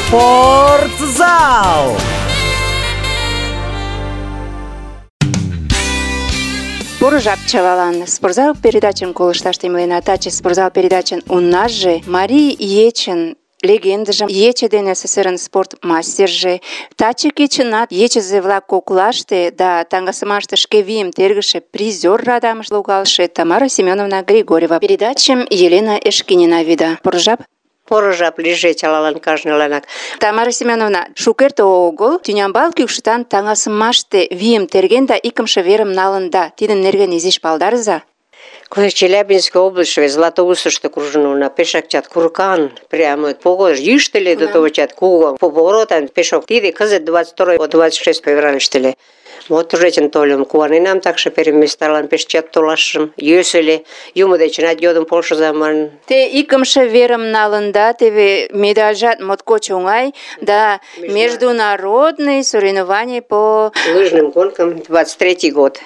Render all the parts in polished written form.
Спортзал! Поро жап чылалан. Спортзал передачым колышташ темлена. Таче спортзал передачын унаже Марий ечын легендыже, ече ден СССР-ын спорт мастерже, таче кечынат ечызе-влак коклаште да таҥасымаште шке вийым тергыше призер радамыш логалше Тамара Семеновна Григорьева. Передачым Елена Эшкинина вӱда. Поро жап. Поро жап лийже чылалан кажныланак. Тамара Семеновна, шукерте огыл Тӱнямбал кӱкшытан таҥасымаште вийым терген да икымше верым налында. Тидын нерген изиш палдарыза. Челябинской областьше Златоустышто кружын улына, пешак чат куркан, прямо погож йӱштыле до того чат кугу поворотан пешок. Тиде кызыт 22-26 февральыште ыле. Вот тужечын тольым, куаненам, такше переместарлан пеш чат толашым, йӧсӧ, юмо дечынат йодым полшыза манын. Те икымше верым налында, теве медальжат моткоч оҥай, да международный соревнование по лыжным гонкам 23-й год.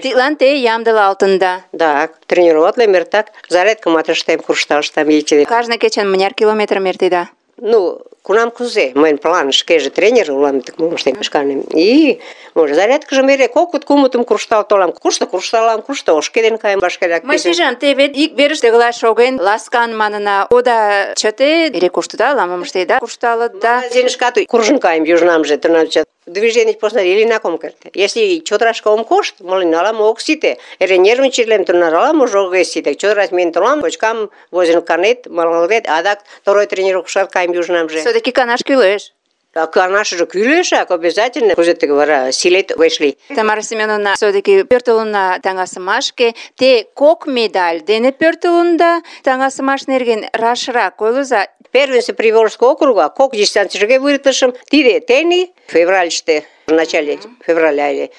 Тидлан те ямдылалтында. Да, тренироватлем эртак, зарядкымат ыштем, куржталыштам ече. Кажне кечын мыняр километрым эртеда? Ну, кунам кузе, мыйын план шкеже тренер улам, так мом ыштем шканем. И, може, зарядкыжым эре кокыт-кумытым куржтал толам. Кушто куржталам, кушто ошкеден каем вашкерак. Мый шижам, те вет ик верыште гына шоген, ласкан манына, ода чыте, эре коштыда, ала-мом ыштеда, куржталыт да. Магазинышкат куржын каем южнамже, тынамже. Движений посна илинак ом керте. Если чодырашка ом кошт, молин ала-мо ок сите. Эре нервничатлем, тунар ала-можо огеш сите. Чодыраш миен толам, почкам возен канет, малалет, адак второй тренировкышат каем южнамже. Все-таки канаш кӱлеш. А канашыже кӱлешак, обязательно. Кузе тыге вара силет огеш лий. Тамара Семеновна, все-таки пӧртылынна таҥасымашке. Те кок медаль дене пӧртылында, таҥасымаш нерген рашрак ойлыза. Первенство Приволжского округа, кок дистанцияшке выртышым. Тиде тений, февральыште, в начале февраля или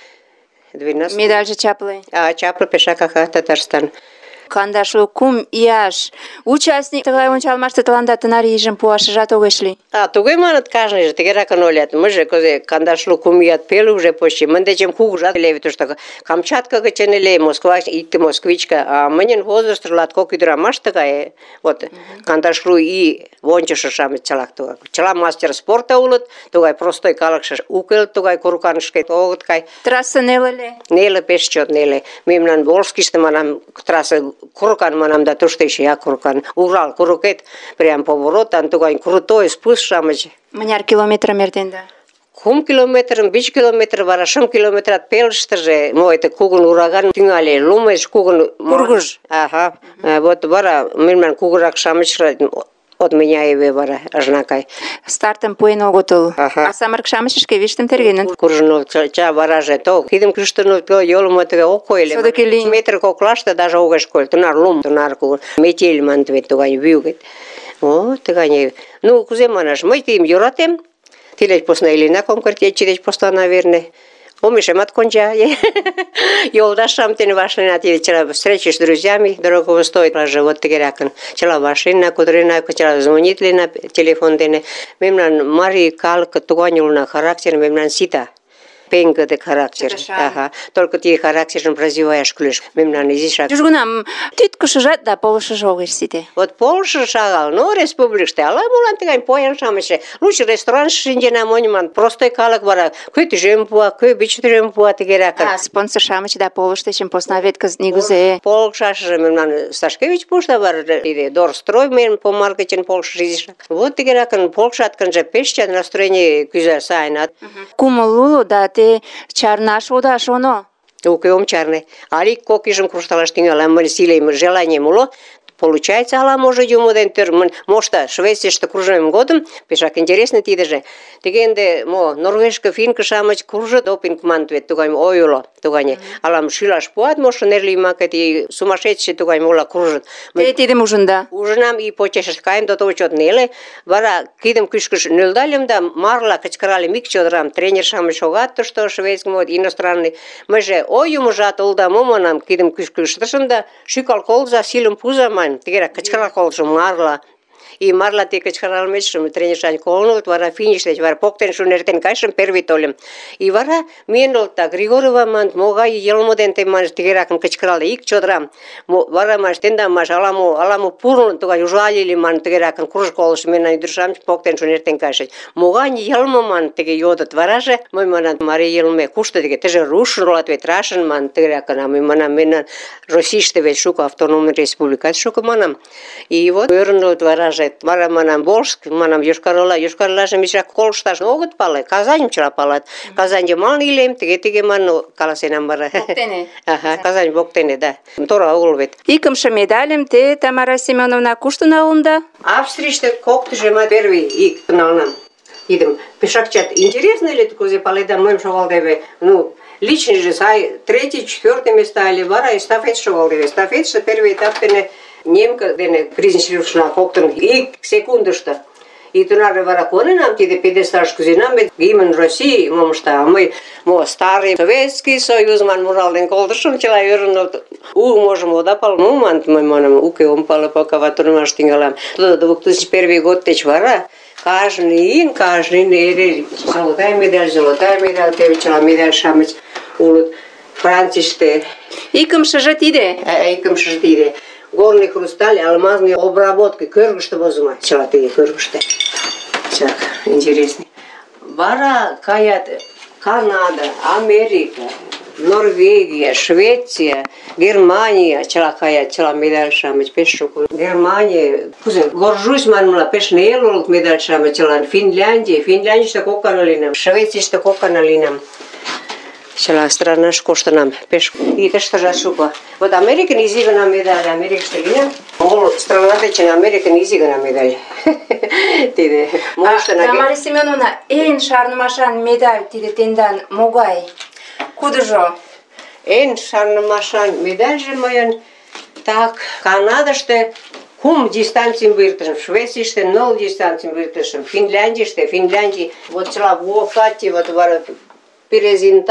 12. Медальже чапле. Чапле пешакаха Татарстан. Кандашлу кум ияш участник тыгай ончалмаште тыланда тынар ийжым пуашыжат огеш лий. Тугай маныт кажныже, тыгеракын ойлат. Мыже козе кандашлу кум ият пеле уже почти. Мындечем кугужат леве тушто. Камчатка гычын эле, Москва, икте москвичка. А мынын возраст латкок ӱдырамаш тыгай. Вот кандашлу ий вончышо-шамыч чылак тугай. Чыла мастер спорта улыт, тугай простой калыкше уке, тугай курыканышке огыт кай. Трасса неле? Неле, пеш чот неле. Мемнан Волжскийыште манам трасса курыкан манам да тушто эше курыкан. Урал курыкет прям поворотан тугай крутой спуск-шамыч. Мыняр километрым эртенда? 5 километрым, 5 километр вара 5 километрат пелыштыже, это кугун ураган тӱҥале, лумеш кугун кургыж. Ага. Вот вара мемнан кугурак-шамычрат от меня и вара ажнакай. Стартым пуэн огытыл. Ага. А самырык-шамыч шке виштым тергеныт. Куржынов ча вараже то. Кидым кӱштынут пел йолым тыге ок койле. Все-таки линь. Метр коклаште даже огеш кой. Тунар лум, тунар кугун. Метель мант вет тугай вӱгет. О, тыгай. Ну, кузе манаш, мый тыйым йӧратем. Тилеч посна илинак ом керт, ече деч посна, наверное. Омешемат конча. Йолдаш-шамыч дене вашлийына, тиде чыла встречи с друзьями дорогого стоит. Вот тыгеракын. Чыла вашлийына, кутырена, чыла звонитлена телефон дене. Мемнан марий калык тугай улына, характер мемнан сита. Пеҥгыде характер. Ага. Только тиде характержым развиваяш кӱлеш. Мемнан изишак. Южгунам тӱткышыжат да полышыжо огеш сите. Вот полышыжо шагал, но республикыште ала-молан тыгай поян-шамычше. Лучше рестораныште шинчена монь, простой калык вара. Кӧ тӱжем пуа, кӧ 5 тӱжем пуа тыгеракын. Спонсор-шамыч да полыш дечын посна вет кызыт нигузе. Полшашыже мемнан Сташкевич пушта вара, тиде Дорстрой мыйын помар гычын полшыжо изишак. Вот тыгеракын полшат гынже пеш чот настроение кӱза сайынат. Кумыл уло да те чарнаш ода шоно. Уке ом чарне. Але кок ийжым куржталаш тӱҥалам, мыйын силем, желанием уло. Получается, ала-можо юмо ден тӧр мошта. Швецийыште кружмем годым пешак интересно тидыже. Тыге ынде норвежка, финка-шамыч кружыт, допинг маныт вет, тугай ой уло, тугай. Алам шӱлаш пуат, мошто нер лиймакет, и сумасшедший тугай моло кружыт. Те тидым ужында? Ужынам, и почешышт каем, до того чот неле. Вара кидым кӱшкыш нӧлдальым да марла кычкыральым ик чодырам. Тренер-шамыч шогат тушто, шведский, иностранный. Мыйже, ой, юмыжат, улда, мо манам, кидым кӱшкыш ыштышым да шӱкал колза, силым пуза, ман. Тыгерак кычкырал колтышым марла. И марла те кычкыралметшым тренершан колын улыт, вара финиш деч вара поктен шуын эртен кайышым, первый тольым. И вара миен олта, Григорьева маныт, могай йылме дене те маныт тыгеракын кычкыралде, ик чодырам. Вара маныт, тендам маныт, ала-мо пурлын, тугай ужалили маныт тыгеракын кружколыш мемнан ӱдыр-шамыч поктен шуын эртен кайышыч. Могай йылме маныт тыге йодыт. Вараже мый манам, марий йылме кушто тыге, теже рушын улат вет, рашын маныт тыгеракын, а мый манам, мемнан Российыште вет шуко автономный республикат шуко манам. И вот ӧрыныт вараже, вара манам, Волжск, манам, Йошкар-Олажым изирак колышташ огыт пале, Казаньым чыла палат. Казань йымалне илем, тыге манын каласенам вара. Воктене. Ага, Казань воктене, да. Тора огыл вет. Икымше медальым те, Тамара Семеновна, кушто налында? Австрийыште коктыжымат первый ик налынам. Идым. Пешак чат, интересно ли кузе паледа мыйым шогалдеве? Ну, личный же сай, 3-4 места или вара эстафет шогалдеве. Эстафетше первый этап дене немка дене призенчилышна коктын ик секундышто. И тунар вара коненам тиде пьедесталыш кузенам, гимн России, момышта, а мы старый Советский Союз ман муралден колтышым, чыла ӧрыныт. Можем ода пал, мант мый манам, уке ом пале, пока ватурмаш тӱҥалам. Тудо 2001 год деч вара каждый ин эре золотая медаль, теве чыла медаль-шамыч улыт Францийыште. Икымшыже тиде? Икымшыже тиде. Горный хрусталь, алмазный обработка, кӧргыштӧ возымо, чыла тыге кӧргыштӧ. Так, интересный. Вара каят Канада, Америка, Норвегия, Швеция, Германия, чыла каят, чыла медаль-шамыч пеш шуко. Германия, горжусь манмыла, пеш нел улыт медаль-шамыч чылан. Финляндийыште кок гана лийынам, Швецийыште кок гана лийынам. Чыла странаш коштынам, пеш и тыштыжат шуко. Вот Американ изи гана медаль, Америкыште лийынам. Моло страна дечын Американ изи гана медаль. Тиде. Тамара Семеновна, эн шарнымашан медаль тиде тендан могай? Кудыжо? Эн шарнымашан медальже мыйын так Канадыште 3 дистанцийым выртышым, Швецийыште 0 дистанцийым выртышым, Финляндий, вот чыла Вуокати, вот вара Перезин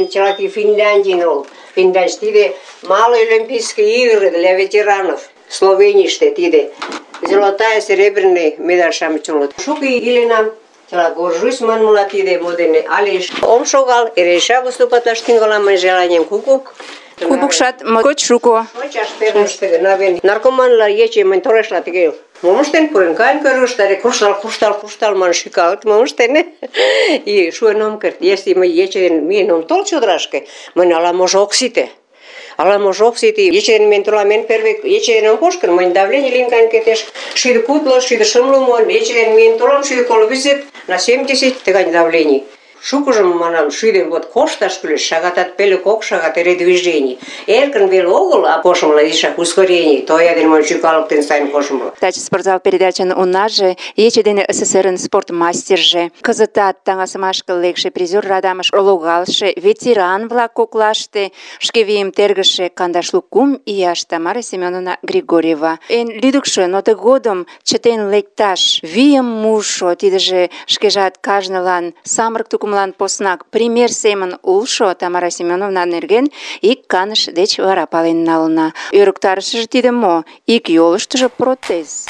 чыла Финляндий ол. Финляндия тиде малый олимпийские игры для ветеранов. Словенийыште тиде золотая, серебряный медаль-шамыч улыт. Шуко иленам, чыла горжусь манмыла тиде модене. Але ом шогал, эреша выступатлаш тӱҥалам мый желанием куку. Кубокшат моткоч шуко. Шочаш перныште навен. Наркоманла ече мынь торешла тыге. Мом ыштен пурен каен кӧргыштӧ, куржтал манын шӱкалыт, мом ыштен. И шуэн ом керт. Если мый ече дене миен ом тол чодырашке, мынь ала-можо ок сите. Ече дене миен толам, эн первый ече дене ом кошкын, мынь давление лийын каен кетеш. 150-150 муын, ече дене миен толам, 150/70 тыгай давлений. Шукыжым, манам, шӱден вот кошташ кӱлеш, шагатат пеле кок шагат эре движений. Эркын веле огыл, а коштмыла изишак ускорений, тоя дене монь шӱкалыктен сайын коштмыла. Таче спортзал передачын унаже, ече дене СССР-ын спортмастерже, кызытат таҥасымашке лекше призер радамыш логалше ветеран-влак коклаште шке вийым тергыше 52 ияш Тамара Семеновна Григорьева. Эн лӱдыкшӧ, но тыгодым чытен лекташ вийым мушо, тидыже шкежат кажнылан самырык тукым поснак пример семын улшо Тамара Семеновна нерген ик каныш деч вара пален налына. Ӧрыктарышыже тиде мо? Ик йолыштыжо протез.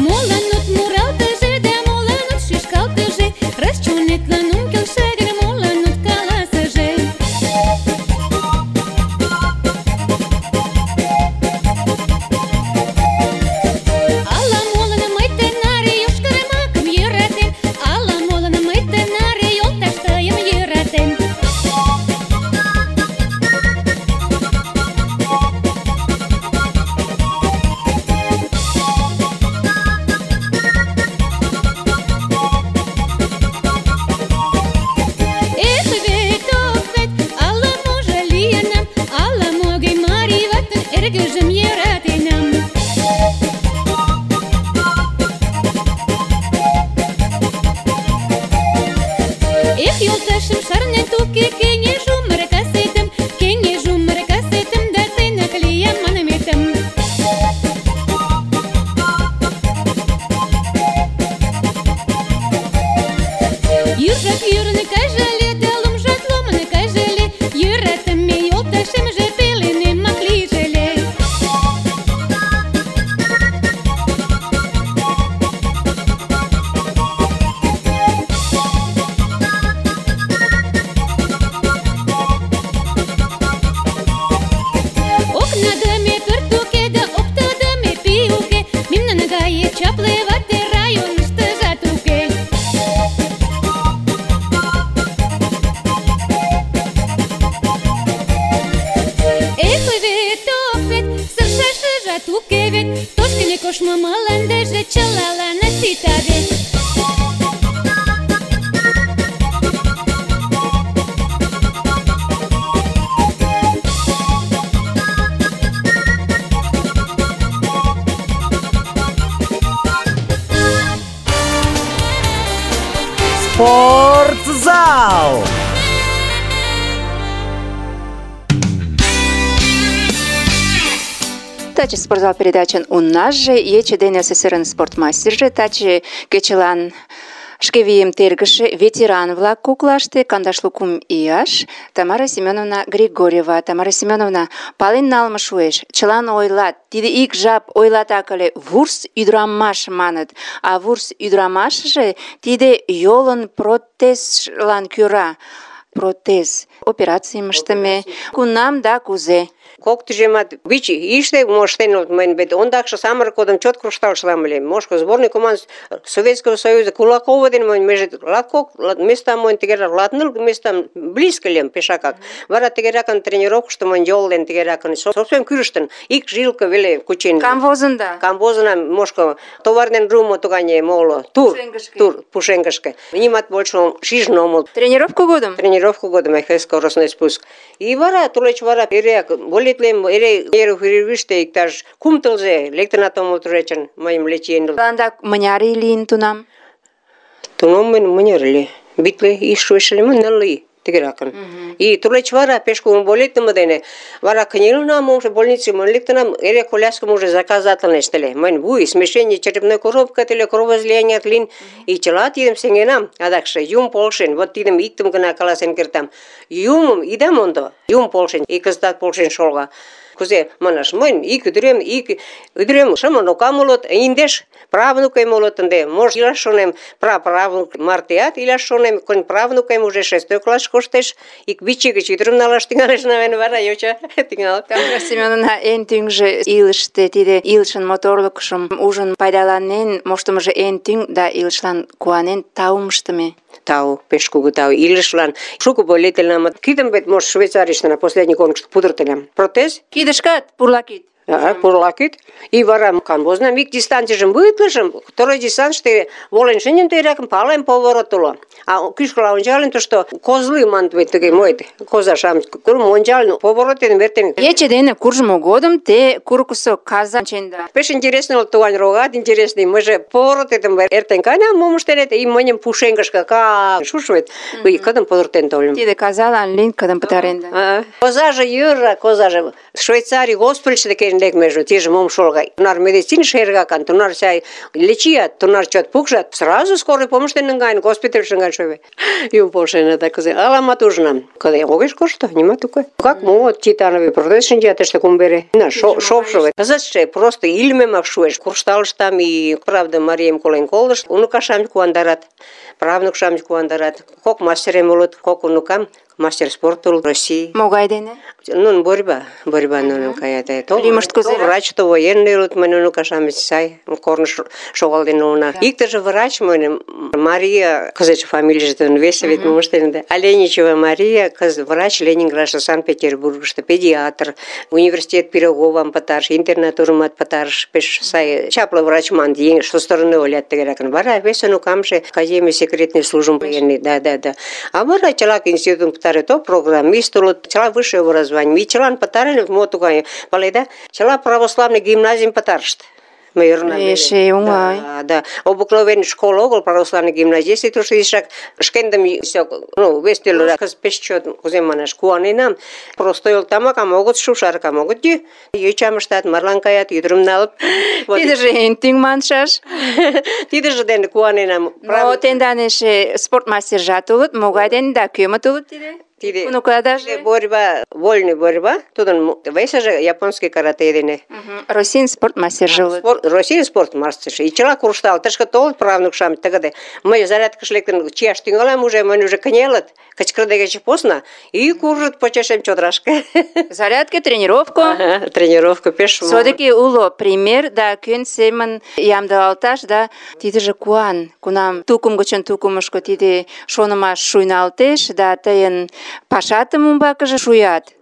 Молан от муралтыже да молан Тышке кеңеш умыр касетым, кеңеш умыр касетым, да тыйнык лиям манметым. Южак юрын кажале, да лумжат лумын кажале, йӧратыме йолташемже пеленемак лийже ыле. Окнадыме пӧрт уке да оптыдыме пий уке, мемнан гае чапле вате районыштыжат уке. Эх, вет, ох вет, сыршашыжат уке вет, тошкыне коштмо мландыже чылаланат сита вет. Спортзал! Таче спортзал передачын уннаже ече ден СССР-ын спортмастерже, таче кечылан шке вийым тергыше ветеран-влак коклаште 52 ияш Тамара Семеновна Григорьева. Тамара Семеновна, пален налме шуэш. Чылан ойлат, тиде ик жап ойлатак ыле, вурс ӱдырамаш маныт, а вурс ӱдырамашыже тиде йолын протезлан кӧра. Протез операцийым ыштыме. Кунам да кузе? Кок тӱжемат вич ийыште моштен улыт мыйын, вет ондакше самырык годым чот куржталшылам ыле. Мошко сборный команда Советского Союза Кулакова дене мыйын меже латкок местам мыйын тыгерак латныл местам близко лем пешакак. Вара тыгеракын тренировкышто мыйын йол дене тыгеракын совсем кӱрыштын, ик жилка веле кучен. Камвозында. Камвозына мошко товар ден румо тугане моло тур пушенгышке. Нимат больше шижын омыл. Тренировка годым? Тренировку годым скоростной спуск. И вара тулеч вара эреак болитлем эре перерывыште иктаж кум тылзе лектынат омыл туречын мыйым лечен. Тыланда мыняр ий лийын тунам? Тунам мыйын мыняр ыле? Битле ий шуэш ыле мо, ныл ий тыгеракын. И тулеч вара пеш кугун болитыме дене вара кынелынам уже больнице мыйын лектынам эре коляскым уже заказатлынешт ыле. Мыйын вуй, смещение черепной коробка тыле, кровоизлияние лийын, и чыла тидым сеҥенам. Адакше Юм полшен, вот тидым иктым гына каласен кертам. Юмым ида мондо, Юм полшен, и кызытат полшен шолга. Кузе манаш, мыйын ик ӱдырем шымын окам улыт, индеш правнукем улыт ынде. Может, илаш шонем, праправнук мартеат илаш шонем, конь правнукем уже 6-й класс коштеш, ик вич ий гыч ӱдырым налаш тӱҥалеш, навен вара йоча тӱҥалат. Тамара Семеновна, эн тӱҥжӧ илыште тиде илышын моторлыкшым ужын пайдаланен моштымыжо эн тӱҥ да илышлан куанен таум ыштыме. Тау, пеш кугу тау. Илышлан шуко болетельнам. Кидым вет, может, Швейцарийыште на последний конкурс пудыртылям. Протез? Кидышкат пурлакит. Пурлакит. И вара камбознам ик дистанцийжым вытлышым, второй дистанцийыште волен шинчын тӧракым палем поворот уло. А кӱшкыла ончалын, тушто козлы маныт вет тыге моет, коза-шамыч. Ончалын, поворот дене вертен. Ече дене куржмо годым те курыкысо каза ченда. Пеш интересный ол туган рогат интересный. Мы же поворот этим эртен кайнам, мом ыштен, и мыньым пушеҥгышке шушвет. Кыдым пудыртен тольым. Тиде казалан лийын кыдым пытарен да. Козаже йӧра, козаже. Швейцарий госпитальыште кайын лекмеже, тиже мом шолга. Тунар медицин шергакан, тунар чай лечият, тунар чот пукшат. Сразу скорый помощь дене наҥгаен, госпитальыш наҥгаен шове. Юм полшен, да кузе. Аламат ужынам. Кыде огеш кошто, нимат тугай. Как могут титановый протез шинчат тыште кумбере. На шопшове. Кызытше просто илемемак шуэш. Куржталыштам и правда Марием колен колышт. Уныкашам куандарат. Правнукшам куандарат. Кок мастерем улыт, кок унукам. Мастер спорта России. Могай дене? Ну, борьба нунын каят. Римышт кузе? Врач, то военный улыт, мыйын уныкашам сай, корныш шогалден улына. Иктыже врач мыйын, Мария, кызытше фамилийже весе вет мом ыштен. Аленичева Мария, врач Ленинградыште, Санкт-Петербургышто, педиатр, университет Пироговам пытарыш, интернатурымат пытарыш, пеш сай, чапле врач ман, еҥ, со стороны олят тыгеракын. Вара вес унукамже Академия секретный службым военный, да. А вара чылак институтым пытарет, то программист улыт, чыла высшее образование. И чылан пытареныт, мо тугай, паледа, чыла православный гимназийым пытарышт. Эше оҥай. Да. Обыкновенный школ огыл, православный гимназийский, тушто изишак шкендым вес тӱрлырак кызыт пеш чот, кузе манаш, куаненам. Просто йолтамакам огыт шу, шаркам огыт йӱ. Йочам ыштат, марлан каят, ӱдырым налыт. Тидыже эн тӱҥ маншаш. Тидыже дене куаненам. Но тендан эше спортмастержат улыт, могай дене да кӧмыт улыт тиде? Унукадаже? Борьба, вольный борьба, тудын весыже японский карате дене. Российный спортмастерже улыт. Российский спортмастерже. И чыла куржтал, тышке толыт правнук-шамыч тыгыде. Мый зарядкыш лектын чияш тӱҥалам уже, мыйын уже кынелыт, кычкырыде гыч посна, и куржыт почешем чодрашке. Зарядка, тренировка. Тренировка пеш. Все-таки уло пример, да кӧн семын ямдылалташ, да тидыже куан. Кунам тукым гычын тукымышко тиде шонымаш шуйналтеш, да тыйын пашатым умбакыже шуят.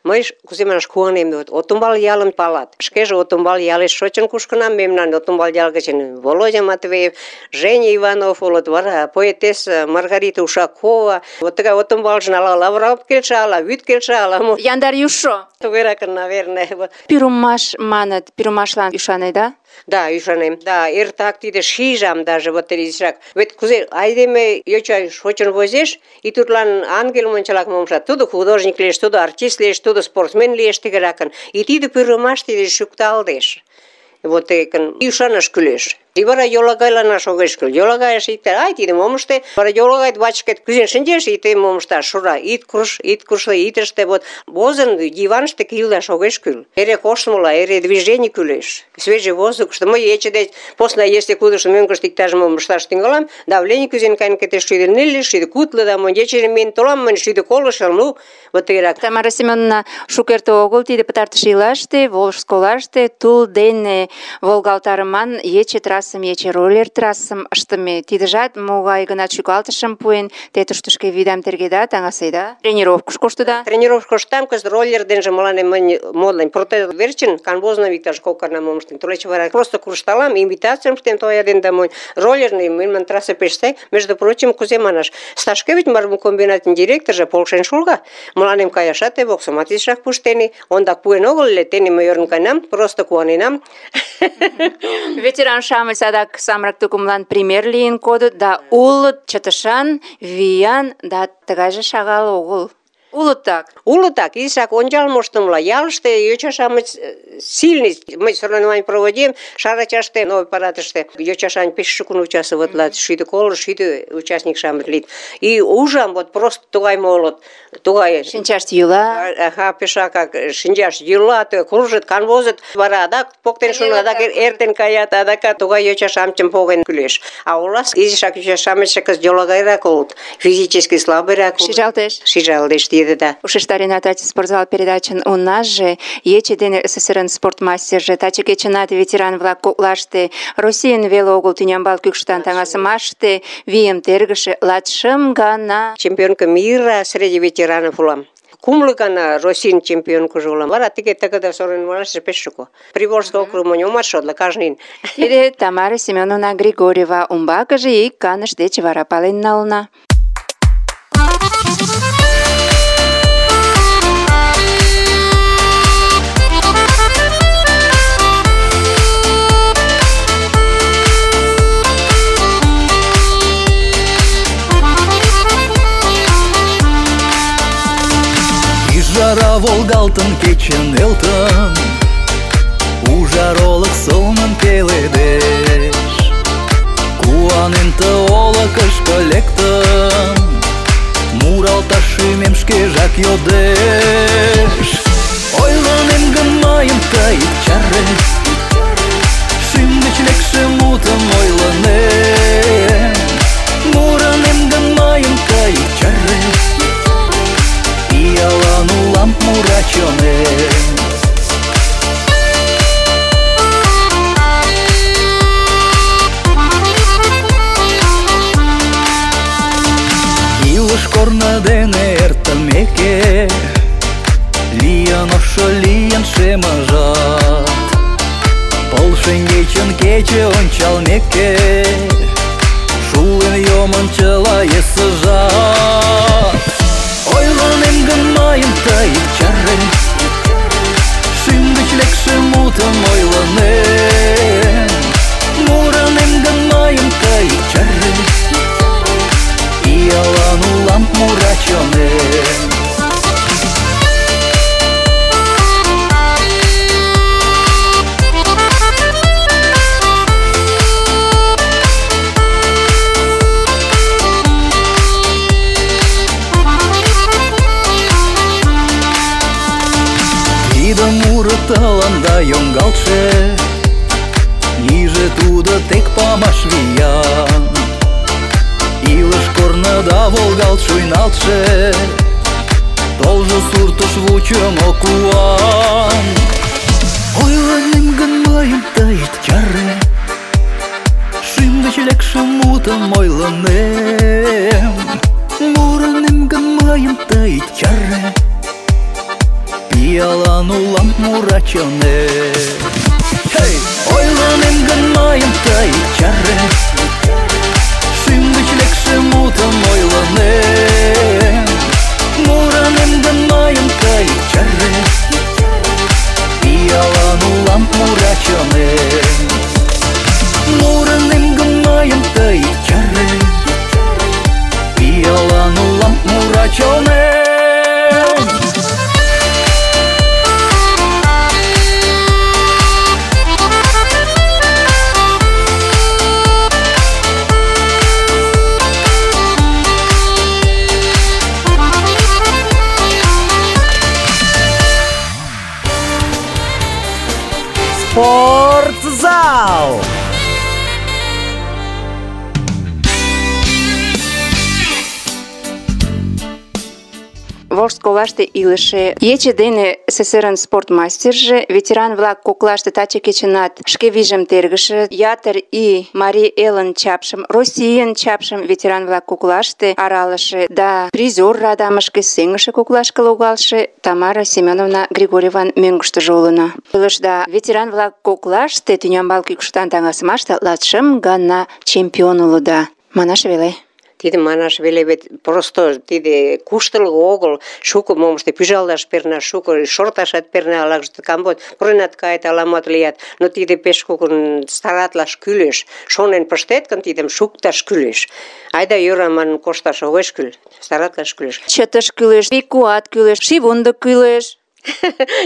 Мый кузе манаш куанем, Отумбал ялым палат. Шкеже Отумбал ялеш шочын кушкынам, мемнан Отумбал ял гычын Володя Матвеев, Женя Иванов улыт, вара поэтесса Маргарита Ушакова. Вот тыгай Отумбалжын ала лавыралт келша, ала вӱд келша, ала мо. Яндар южшо. Тугеракын, наверное. Пӱрымаш маныт, пӱрымашлан ӱшанеда? Да, ӱшанем. Да, эртак тиде шижам даже вот изишак. Вет кузе айдеме йоча шочын возеш, и тудлан ангел мончалак момшат. Тудо художник лиеш, тудо артист лиеш, тудо спортсмен лиеш тыгеракын. И тиде пӱрымаш тиде шукталдеш. Вот экын ӱшанаш кӱлеш. И вара йолагайланаш огеш кӱл. Йолагайыш иктар, ай, тиде мом ыште. Вара йолагайт бачкет кӱзен шинчеш, и тый мом ышташ, шура, ит курж, ит ыште. Вот возын диваныште кийылдаш огеш кӱл. Эре коштмыла, эре движений кӱлеш. Свежий воздухышто. Мый ече деч посна, если кудышто мӧҥгыштӧ иктаж мом ышташ тӱҥалам, давлений кӱзен каен кетеш 140, 150, да монь ече миен толам, мынь 150, ну, вот тыгерак. Тамара Семеновна шукерте огыл тиде пытартыш ийлаште Волжск олаште тул дене волгалтарыман ече трассым, ече роллер трассым ыштыме. Тидыжат могай гынат шӱкалтышым пуэн, те тушто шке вийдам тергеда, таҥаседа, тренировкыш коштыда. Тренировкыш коштам, кызыт роллер денже мыланем мынь модлан протез верчын канвозно иктаж кок арна мом ыштем. Тулеч вара просто куржталам, имитацийым ыштем тоя ден да монь. Роллерный мыйын трасса пеш сай. Между прочим, кузе манаш, Сташкевич мармукомбинатын директоржо полшен шулга. Мыланем каяшат боксымат изишак пуштений. Ондак пуэн огыл ыле, тений мый ӧрын каенам, просто куаненам. Ветеран-шамыч садак самырык тукымлан пример лийын кодыт, да улыт чытышан, виян, да тыгайже шагал огыл. Улыт так. Улыт так, изишак ончал моштымыла. Ялыште йоча-шамыч сильный. Мый соревнование проводим, Шарачаште, новый парадыште. Йоча-шамыч пеш шукын участвоватлат, 150 участник-шамыч лийыт. И ужам, вот просто тугай молот, тугай. Шинчашт йӱла. Ага, пешакак шинчаш йӱла, кружыт, канвозыт, вара адак поктен шуна, адак эртен каят, адакат тугай йоча-шамычым поген кӱлеш. А улас изишак йоча-шамычше кызыт йолагайрак улыт, физически слабыйрак улыт. Шижалтеш. Шижалтеш. Да. Ушештарена таче спортзал передачын унаже, ече дене СССР-ын спортмастерже, таче кечынат ветеран-влак коклаште, Российын веле огыл тӱнямбал кӱкшытан таҥасымаште вийым тергыше 25 гана. Чемпионка мира среди ветеранов улам. Кумло гана Российын чемпионкыжо улам. Вара тыге тыгыде соревнованийыште пеш шуко. Приволжский округ монь омат шотла, кажнын. Тиде Тамара Семеновна Григорьева, умбакыже ик каныш деч вара пален налына. Жара волгалтын кечен элтын, ужар олык сылнын пеледеш. Куанен ты олыкышко лектын, муралташ шӱмем шкежак йодеш. Ойлынем гын мыйым тый ит чаре, шӱм гыч лекше мутым ойлынем. Мурынем гын мыйым тый ит чаре, пиалан улам мура чонем. Илыш корно дене эртымеке, лийын ошо, лийын шемыжат. Пыл шеҥгечын кече ончалмеке, шулен йомын чыла есыжат. Ойлынем гын мыйым тый ит чаре, шӱм гыч лекше мутым ойлынем. тыланда йоҥгалтше, иже тудо тек памаш виян. Илыш корныда волгалт шуйналтше, толжо суртыш вучымо куан. Ойлынем гын мыйым тый ит чаре, шӱм гыч лекше мутым ойлынем. Мурынем гын мыйым тый ит чаре, пиалан улам мура чонем. Ойлынем гын мыйым тый ит чаре, шӱм гыч лекше мутым ойлынем. Мурынем гын мыйым тый ит чаре, пиалан улам мура чонем. Мурынем гын мыйым тый ит чаре, пиалан улам мура чонем. Спортзал! Волжск олаште илыше ече дене СССР-ын спортмастерже, ветеран-влак коклаште таче кечынат шке вийжым тергыше, ятыр ий Марий Элын чапшым, Российын чапшым ветеран-влак коклаште аралыше да призер радамышке сеҥыше коклашке логалше Тамара Семеновна Григорьеван мӧҥгыштыжӧ улына. Илышда ветеран-влак коклаште тӱнямбал кӱкшытан таҥасымаште 25 гана чемпион улыда. Манаш веле. Тиде манаш веле, вет просто тиде куштылго огыл, шуко момышто пӱжалташ перна, шуко шорташат перна, ала камбот пуренат кает, аламат лият, но тиде пеш кугун старатлаш кӱлеш. Шонен пыштет гын, тидым шукташ кӱлеш. Айда йӧра манын кошташ огеш кӱл, старатлаш кӱлеш. Чытыш кӱлеш, вий-куат кӱлеш, шийвундык кӱлеш.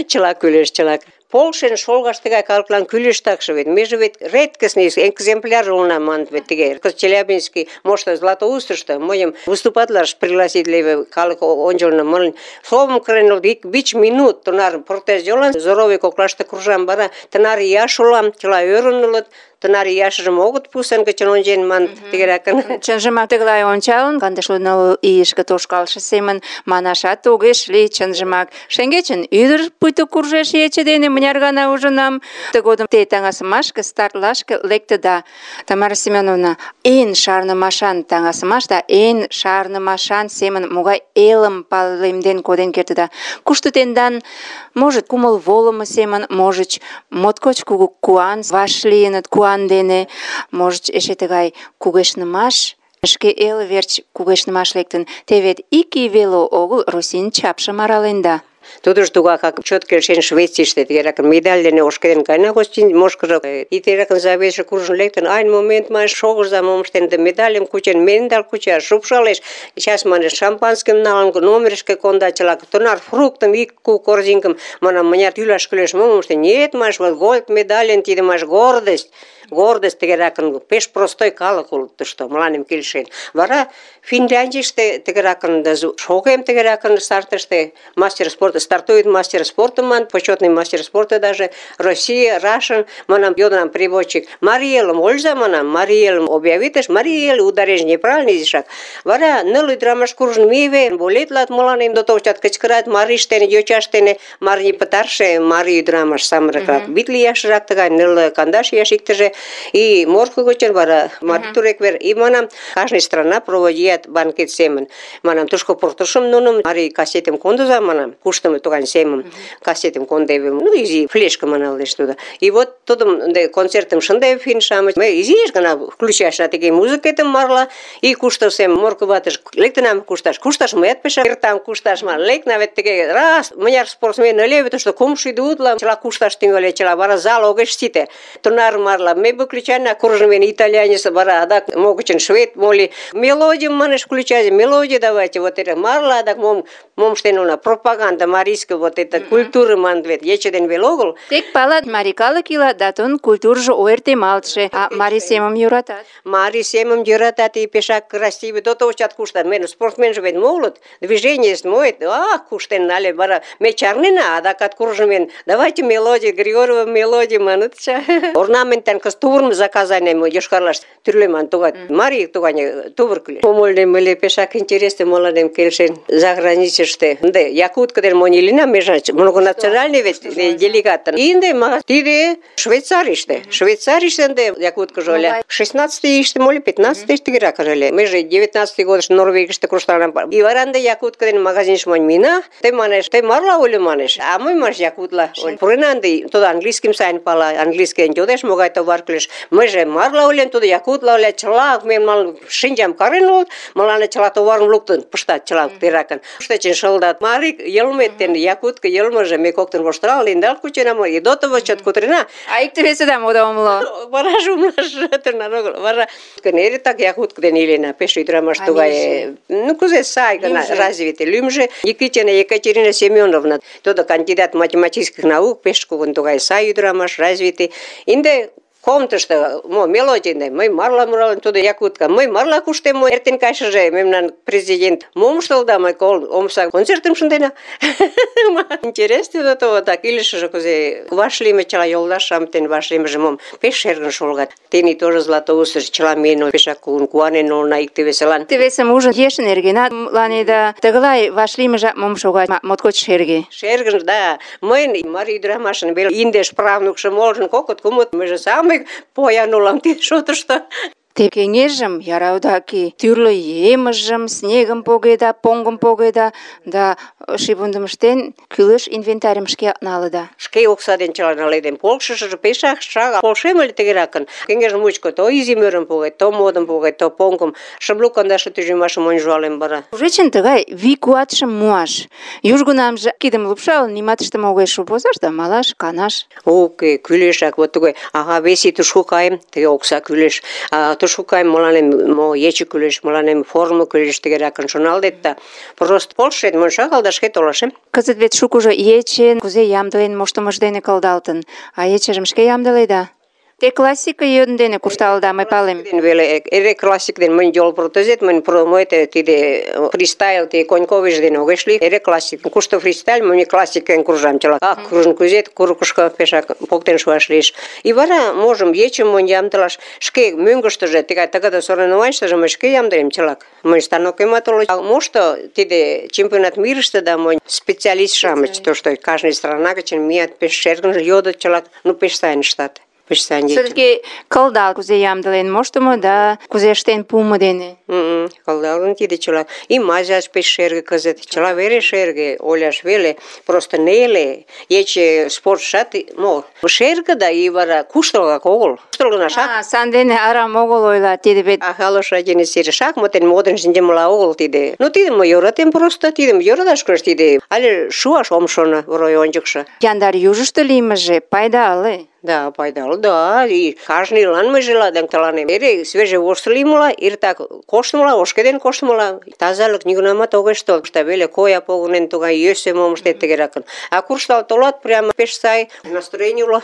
Чыла кӱлеш, чыла. Полшен шолгаш тыгай калыклан кӱлеш такше вет. Меже вет редкостный экземпляр улына маныт вет тыге. Челябинский, может, Златоустышто мыйым выступатлаш пригласитлеве калык ончылно мылын. Словом кырен ик 5 минут тунар протез йолан здоровый коклаште кружам бара, тынар ияш улам, чыла ӧрын улыт. Тынар ияшыжым огыт пусен гычын ончен маныт тыгеракын. Чынжымак тыглай ончалын, 29 ийышке тошкалше семын манашат огеш лий, чынжымак. Шеҥгечын ӱдыр пуйто куржеш ече дене, мыняр гана ужынам. Тыгодым те таҥасымашке, стартлашке лектыда. Тамара Семеновна, эн шарнымашан таҥасымаш да эн шарнымашан семын могай элым палемден коден кертыда. Кушто тендан, можыт, кумыл волымо семын, можыч, моткоч кугу куан вашлийыныт, куан дене, можыч, эше тыгай кугешнымаш, шке эл верч кугешнымаш лектын. Те вет ик ий веле огыл Российын чапшым араленда. Тудыжо тугакак чот келшен Швецийыште тыгеракын медаль дене ошкеден кайна гостин мошкыжо. И тыгеракын заведше куржын лектын, айн момент ман шогырза мом ыштен, да медальым кучен, медаль куча, шупшалеш. Сейчас манеш шампанским налын, номерышке конда чыла, тунар фруктым, ик корзинкым, манам, мыняр тӱлаш кӱлеш, мом ыштен. Нет, маш, вот гольд медальын, тиде маш гордость. Гордость тыгеракын, пеш простой калык улыт тышто, мыланем келшен. Вара Финляндийыште тыгеракын, шогем тыгеракын стартыште, мастер спорта, стартует мастер спорта, ман, почетный мастер спорта даже, Россия, Russian, манам, йодынам переводчик, Мариелым ольза, манам, Мариелым объявитыш, Мариел, ударение неправильный изишак. Вара ныл ӱдырамаш куржын мийыве, болетлат мыланем дотовчат, кычкырат, мариш дене, йочаш дене, марий пытарше, марий ӱдырамаш самырыкрак, витле ияшрак тыгай, 9-10 ияш иктыже. И морко гычын вара мартурек вер. И манам, каждая страна проводит банкет семен. Манам, тушко портушым нуным, мари кассетым кондуза, манам, куштым туган семем, кассетым кондевим, ну, изи флешка маналдеш туда. И вот тудым концертым шындев финшамыч, мы изиш гана включаш на такие музыкетым марла, и куштасем морко ватыш, лектынам кушташ мыят пеша, там кушташ ман, лектна вет таке, раз, мыняр спортсмен левит, что кумши идутла, чела кушташ тинголе, чела вара зал огеш сите, тунар марла, ме бы включали, куржен итальянец, бара, адак могучен швед, моли, мелодию манеш включать, мелодию давайте, вот это марла, адак мом штенула, пропаганда, марийский вот это культура манат вет, ече ден веле огыл. Тек палат, марий калык ила, да тудын культуржо ойыртемалтше, а марий семым йӧратат. Марий семым йӧратат и пешак красивый, до того чат куштат. Мен спортсменже вет молот, движение моет, куштен нале, вара ме чарнена, адакат куржмен, давайте мелодию, Григорьева мелодию манат ча. Орнаментен кыз тувырым заказанием Йошкар-Олаш тӱрлеман тугай, марий тугай тувыркыле. Помольнем ыле пешак интересно мыланем келшен за границыште. Ынде якутка ден монь илена, межа многонациональный вет делегатын. Инде ма тиде Швейцарийыште. Швейцарийыште ынде якуткыжо ыле. 16-й иште моли 15-й тыгерак ыле. Меже 19-й годыш Норвегийыште куржталам. И варанде якутка ден магазинеш монь мина. Ты манеш, ты марла оле манеш. А мый маш якутла. Пурена ынде тудо английским сайын пала, английский йодеш, могай товар кӱлеш. Мыйже марла олем, тудо якутла оле, чыла мен шинчам карен улыт, мыланна чыла товарым луктын пыштат, чыла теракын. Штечен шылдат. Марий йылмет ден якутка йылмыже ме коктын воштырал, ендал кучена, и до того чот кутырена. А икте-весыда мода умыло. Вараже умылаш тырнан огыл. Вара эре так якутка ден илена, пеш ӱдырамаш тугай. Ну кузе сай гына развитый. Лӱмжӧ Никитина Екатерина Семеновна. Тудо кандидат математических наук, пеш кугун тугай сай ӱдырамаш, развитый. Инде комнатышто мелодийный, мый марла муралын, тудо якутка, мый марла куштем, эртен кайшыже мемнан президент мом ыштылда, мый омса концертым шындена. Интересно до того, так илышыже кузе вашлийме чыла йолташ-шамыч дене вашлиймыже мом пеш шергын шолгат. Тений тоже Златоустыш чыла миен, пешак кугун куанен улына икте-весылан. Икте-весым ужын ешын эргенат мыланеда тыгылай вашлиймыжак мом шогат, моткоч шерге. Шергын, да. Мыйын марий ӱдырамашын веле индеш правнукшо молжын кокыт-кумыт, мыйже самый поян улам тиде шотышто. Те кеҥежым яраудак тӱрлӧ емыжым, снегым погеда, поҥгым погеда, да шийвундым ыштен, кӱлеш инвентарьым шке налыда. Шке окса ден чыла наледем. Полшышыжо пешак шагал. Полшем ыле тыгеракын. Кеҥеж мучко то изи мӧрым погет, то модым погет, то поҥгым. Шымлу кандаше тӱжемашым ончалем вара. Ужечын тыгай вий-куатшым муаш. Южгунамже кидым лупшалын, нимат ыштыме огеш возаш да малаш, канаш. Уке, кӱлешак. Вот тугай. Ага, веси тушко каем, тыге окса кӱлеш. Тушко каем, мыланем ече кӱлеш, мыланем форма кӱлеш, тыгеракын шоналтет да. Просто полшет, мый шагал да шке толашем. Кызыт вет шукыжо ечен кузе ямдылен моштымыж дене кылдалтын, а ечыжым шке ямдыледа. Те классика йӧн дене куржталыда, мый палем. Веле эре классик ден мынь йол протезет, мынь тиде фристайл, те коньковиш ден огеш лий, эре классик. Кушто фристайл, мынь классикын куржам чыла. Куржын кузет, курыкышко пешак поктен шуаш лиеш. И вара можым ечым мынь ямдылаш, шке мӧҥгыштыжӧ, тыгай тыгыде соревнованийыштыже мый шке ямдылем чылак. Мынь станокемат уло. Мошто тиде чемпионат мирыште да мынь специалист-шамыч, тошто кажне страна гычын мият, пеш шергын йодыт чылак, ну пеш сайын ыштат. Все-таки кылдал кузе ямдылен моштымо да кузе ыштен пуымо дене. Кылдалын тиде чыла. И мазяш пеш шерге кызыт. Чыла вере шерге, оляш веле. Просто неле. Ече спортшат мо шерге да и вара куштылгак огыл. Куштылгынашак. Сандене арам огыл ойла тиде вет. Халош один сере шахматен модын шинчымыла огыл тиде. Ну тидым мый йӧратем просто, тидым йӧраташ кӱлеш тиде. Але шуаш ом шоно рой ончыкшо. Яндар южышто лиймыже пайдале. Да, пайдалы, да. И кажныйлан мый желаем тыланем. Эре свежий вошт лиймыла, иртак коштымыла, ошкеден коштымыла. Тазалык нигунамат огеш тол. Веле коя погынен тугай йӧсӧ мом ыштет тыгеракын. А куржтал толат, прямо пеш сай настроений уло.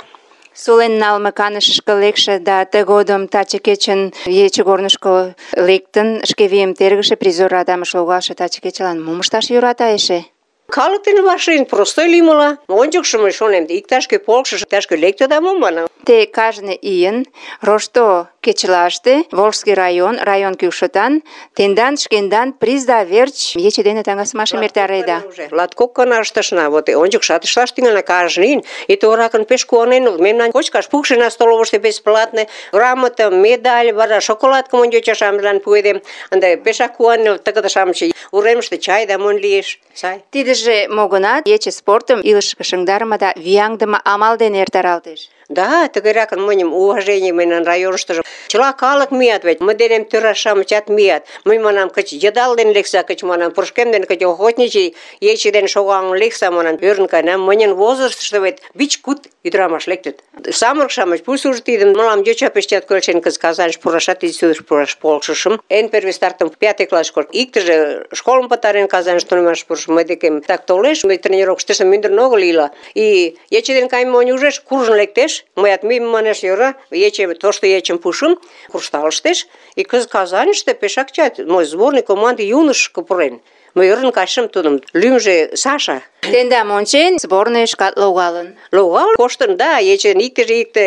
Сулен налме канышышко лекше да тыгодым таче кечын ечыгорнышко лектын, шке вийым тергыше призер радамыш логалше таче кечылан мом ышташ йӧрата эше? Калык дене вашлийын простой лиймыла. Ончыкшо мый шонем, иктаж-кӧ полшыш, иктаж-кӧ лекте да мом манам. Те кажне ийын рошто кечылаште Волжский район кӱкшытан тендан шкендан призда верч ече дене таҥасымашым эртареда. Латкок гана ыштышна, вот ончыкшат ышташ тӱҥална кажне ийын. И торакын пеш куанен улыт. Мемнан кочкаш пукшена столовышто бесплатно, грамота, медаль, вара шоколадкым йоча-шамычлан пуэдем. Ынде пешак куанен тыгыде-шамыч уремыште чай да монь лиеш. Сай. Тидыже мо гынат, ече спортым илышке шыҥдарыме да вияҥдыме амал дене эртаралтеш. Да, тыгеракын мыньым уважение мыйын районыштыжо. Чыла калык мият вет, мый денем тӧра-шамычат мият. Мый манам, кыч йыдал ден лекса, кыч манам, пурышкем ден кыч охотничий ече ден шогалын лекса, манам, ӧрын каенам. Мыньын возрастышто вет 5-6 ӱдырамаш лектыт. Самырык-шамыч пусть уже тидым мылам йоча пештят келшен, кыз Казаньыш пурашат, институтыш пураш полшышым. Эн первый стартым 5 класс школ. Иктыже школым пытарен Казаньыш тунемаш пурыш. Мый декем так толеш, мый тренировкыштыжо мӱндырнӧ огыл ила. И ече ден кайыме монь ужеш, куржын лектеш. Мыят мӱйым манеш йӧра, ече тошто ечым пушым, куржталыштеш. И кыз Казаньыште пешак чат, мой сборный команде юношко пурен. Мый ӧрын кайышым тудым. Лӱмжӧ Саша. Тендам ончен, сборныйышкат логалын. Логалын коштын, да, ечын икте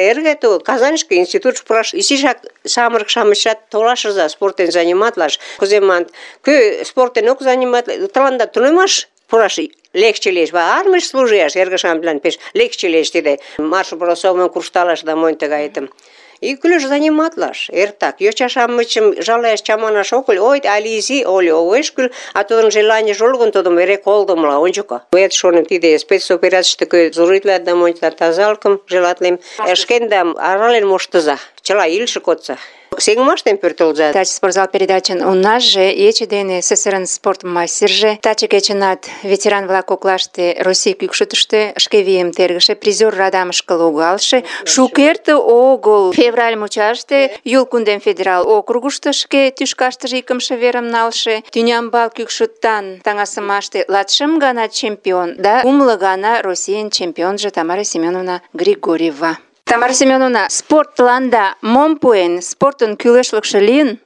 эрге то Казаньышке институтыш пураш. Изишак самырык-шамычшат толашыза спортен заниматлаш. Кузе маныт, кӧ спортен ок заниматле, тыланда тунемаш пураш легче лиеш. Армийыш служияш эргышамлан пеш легче лиеш тиде. Марш-бросовым куржталаш да монь тыгайым. И кӱлеш заниматлаш, эртак. Йоча-шамычым жалаяш чаманаш ок кӱл. Ой, але изи, оле огеш кӱл, а тудын желанийже уло гын, тудым эре колдымыла ончыко. Мыят шонем, тиде спецоперацийыште кӧ зоритлат да монь тазалыкым желатлем. Шкендам арален моштыза, чыла илыше кодса. Сеҥымаштем пӧртылза. Таче спортзал передачын унаже ече дене СССР-ын спорт мастерже, таче кечынат ветеран-влак коклаште Россий кӱкшытыштӧ шке вийым тергыше, призер радамышке логалше, шукерте огыл февраль мучаште Юл кундем федерал округышто шке тӱшкаштыже икымше верым налше, тӱнямбал кӱкшытан таҥасымаште 20 гана чемпион да 6 гана Российын чемпионжо Тамара Семеновна Григорьева. Тамара Семеновна, спортланда мом пуэн? Спортын кӱлешлыкшӧ лийын?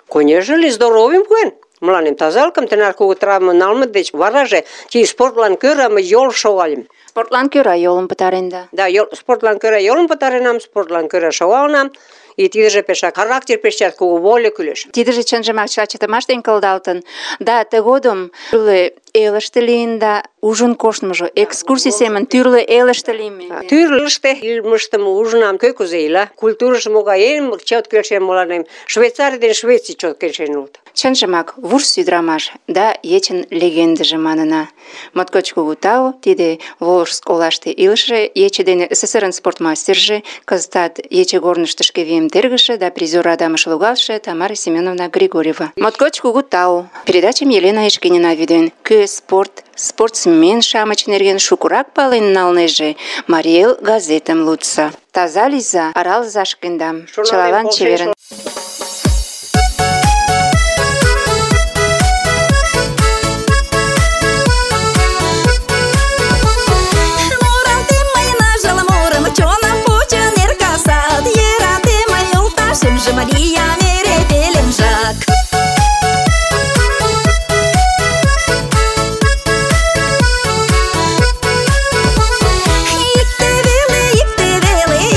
Конечно ли, здоровьем пуэн. Мыланем тазалыкым тынар кугу травма налме деч вараже тиде спортлан кӧра мый йол шогальым. Спортлан кӧра йолым пытаренда. Да, спортлан кӧра йолым пытаренам, спортлан кӧра шогалынам. И тидыже пешак характер пешчат кугу воля кӱлеш. Тидыже чынжымак чыла чытымаш дене кылдалтын. Да, тыгодым тӱрлӧ элыште лийын да ужын коштмыжо, экскурсий семын тӱрлӧ элыште лийме. Тӱрлыштӧ илымыштым ужынам, кӧ кузе ила, культурыжо могай, эн чот келшен мыланем. Швейцарий ден Швеций чот келшен улыт. Чынжымак, вурс ӱдырамаш да ечын легендыже манына. Моткоч кугу тау, тиде Волжск олаште илыше ече дене СССР-ын спортмастерже, кызытат ече корнышто шке вийым тергыше да призер радамыш логалше Тамара Семеновна Григорьева. Моткоч кугу тау. Передачым Елена Эшкинина вӱден. Кӧ спортсмен-шамыч нерген шукырак пален налнеже, Марий Эл газетым лудса. Таза лийза, аралыза шкендам. Чылалан чеверын. Мария мере пеленжак.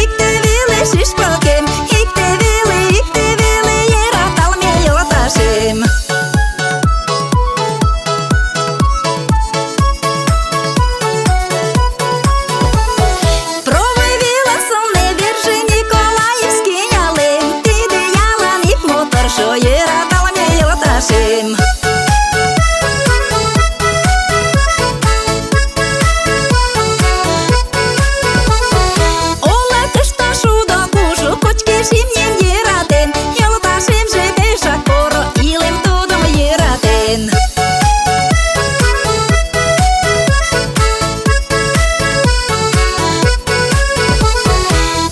Икте веле, шишпалкем, икте веле, ераталме йолташем. Провой вела сонне верже Николаевский ялем. Шо ераталме йолташем. Ола тышта шудо кужу, кочкеш имнем ератен, йолташемже пешак поро, илем тудым ератен.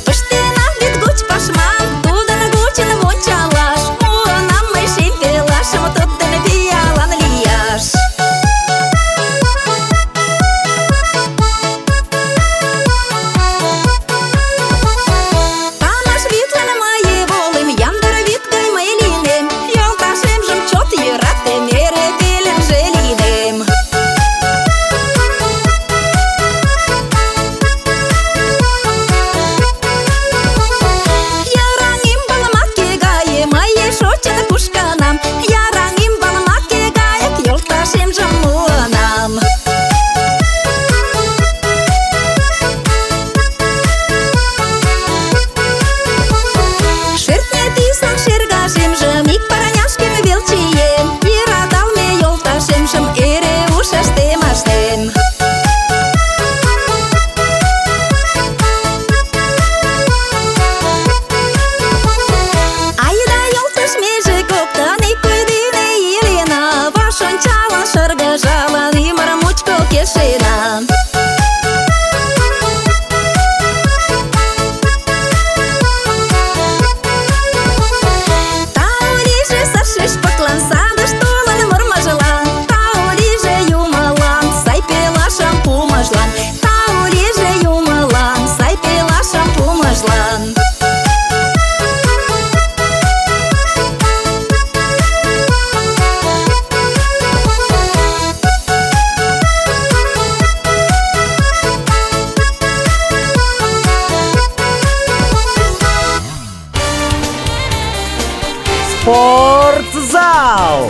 Пыштенам вӱд гоч пашмам, тудын гочын вончалаш. Тудден пиалан лияш. Памаш витлан мые волым, яндар вит гай мый лийнем, йолташемжым чот йӧратем, эре пеленже лийнем. Яраҥ ӱмбалмаке гае мые шочын кушкынам, яраҥ ӱмбалмаке гаяк йолташемжым муынам. Шӧртньӧ тӱсан шергашемжым ик парняшкем вел чием, йӧраталме йолташемжым эре ушыштем ашнем. Айда йолташ меже коктын Спортзал!